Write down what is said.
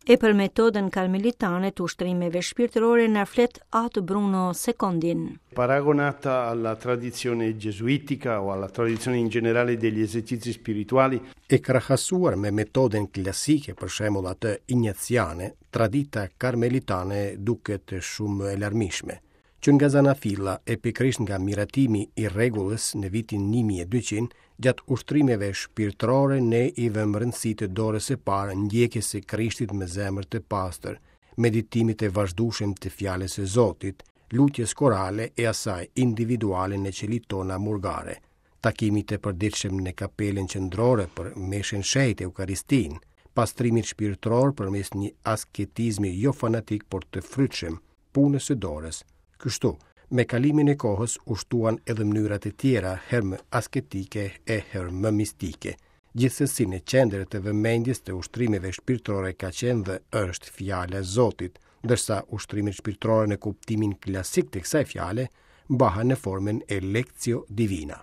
E për metodën karmelitane të ushtrimeve shpirtërore na flet Atë Bruno Secondin. Paragonata alla tradizione gesuitica o alla tradizione in generale degli esercizi spirituali. E krahasuar me metodën klasike, për shembull atë injaciane, tradita karmelitane duket shumë më e larmishme. Që nga Zanafilla e pikërisht nga miratimi i rregullës në vitin 1200, gjatë ushtrimeve shpirtërore ne i vëmë rëndësi të dorës së parë ndjekjes së Krishtit me zemër të pastër, meditimit të vazhdueshëm të fjalës së Zotit, lutjes korale e asaj individuale në qelitë tona murgare, takimit të përditshëm në kapelën qendrore për meshën e shenjtë Eukaristinë, pastrimit shpirtëror përmes një asketizmi jo fanatik por të frytshëm, punës së dorës. Kështu, me kalimin e kohës u shtuan edhe mënyra të tjera, herë më asketike e herë më mistike. Gjithsesi në qendër të vëmendjes të ushtrimeve shpirtërore ka qenë dhe është fjala e Zotit, ndërsa ushtrimet shpirtërore në kuptimin klasik të kësaj fjale mbahen në formën e Lectio Divina.